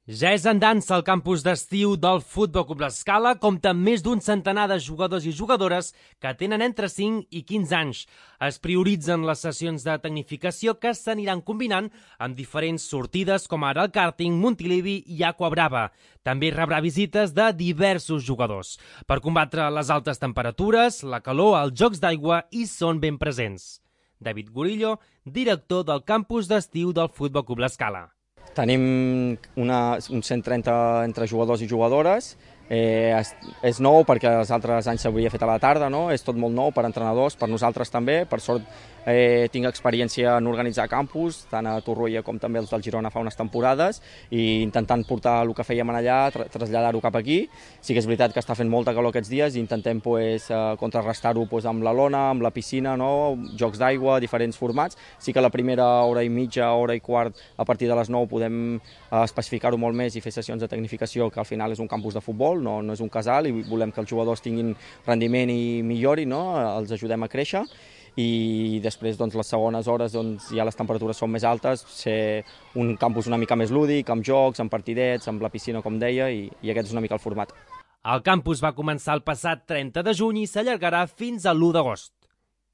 Ja és en dansa el campus d'estiu del Futbol Club L'Escala, compta amb més d'un centenar de jugadors i jugadores que tenen entre 5 i 15 anys. Es prioritzen les sessions de tecnificació que s'aniran combinant amb diferents sortides com ara el kàrting, Montilivi i Aqua Brava. També rebrà visites de diversos jugadors. Per combatre les altes temperatures, la calor, els jocs d'aigua hi són ben presents. David Gorillo, director del campus d'estiu del Futbol Club L'Escala. Tenim uns 130 entre jugadors i jugadores. És nou perquè els altres anys s'hauria fet a la tarda, no? És tot molt nou per entrenadors, per nosaltres també. Per sort tinc experiència en organitzar campus, tant a Torroella com també els del Girona fa unes temporades, i intentant portar el que fèiem allà, traslladar-ho cap aquí. Sí que és veritat que està fent molta calor aquests dies i intentem contrarrestar-ho amb la lona, amb la piscina, no? Jocs d'aigua, diferents formats. Sí que la primera hora i mitja, hora i quart, a partir de les 9 podem especificar-ho molt més i fer sessions de tecnificació, que al final és un campus de futbol, no és un casal, i volem que els jugadors tinguin rendiment i millorin, no? Els ajudem a créixer. I després les segones hores, ja les temperatures són més altes, ser un campus una mica més lúdic, amb jocs, amb partidets, amb la piscina, com deia, i aquest és una mica el format. El campus va començar el passat 30 de juny i s'allargarà fins a l'1 d'agost.